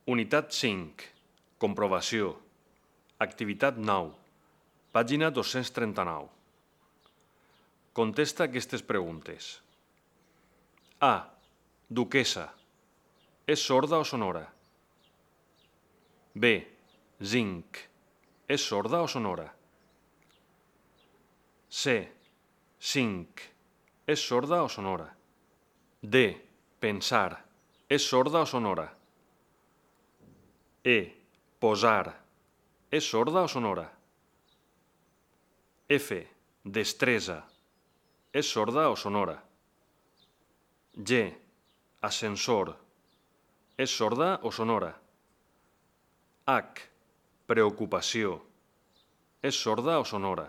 Unitat 5. Comprovació. Activitat 9. Pàgina 239. Contesta aquestes preguntes. A. Duquessa. És sorda o sonora? B. Zinc. És sorda o sonora? C. Cinc. És sorda o sonora? D. Pensar. És sorda o sonora? E. Posar. És sorda o sonora? F. Destresa. És sorda o sonora? G. Ascensor. És sorda o sonora? H. Preocupació. És sorda o sonora?